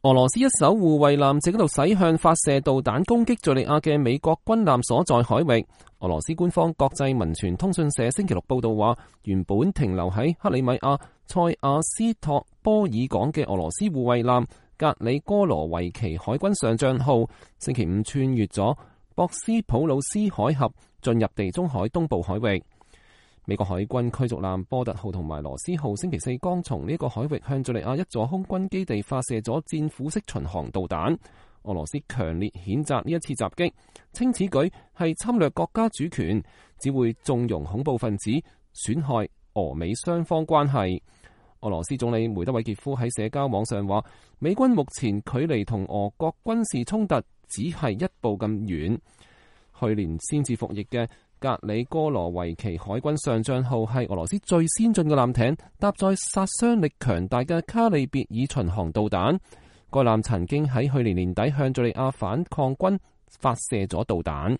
俄羅斯一艘護衛艦正喺度駛向發射導彈攻擊敘利亞嘅美國軍艦所在海域。俄羅斯官方國際民傳通訊社星期六報道話，原本停留喺克里米亞塞亞斯托波爾港嘅俄羅斯護衛艦格里戈羅維奇海軍上將號星期五穿越咗博斯普魯斯海峽，進入地中海東部海域。美國海軍驅逐艦波特號同埋羅斯號星期四剛從呢個海域向敘利亞一座空軍基地發射咗戰斧式巡航導彈。俄羅斯強烈譴責呢一次襲擊，稱此舉係侵略國家主權，只會縱容恐怖分子，損害俄美雙方關係。俄羅斯總理梅德韋傑夫喺社交網上話，美軍目前距離同俄國軍事衝突只係一步咁遠。去年先至服役嘅格里戈羅維奇海軍上將號係俄羅斯最先進嘅艦艇，搭載殺傷力強大嘅卡利別爾巡航導彈。該艦曾經喺去年年底向敘利亞反抗軍發射咗導彈。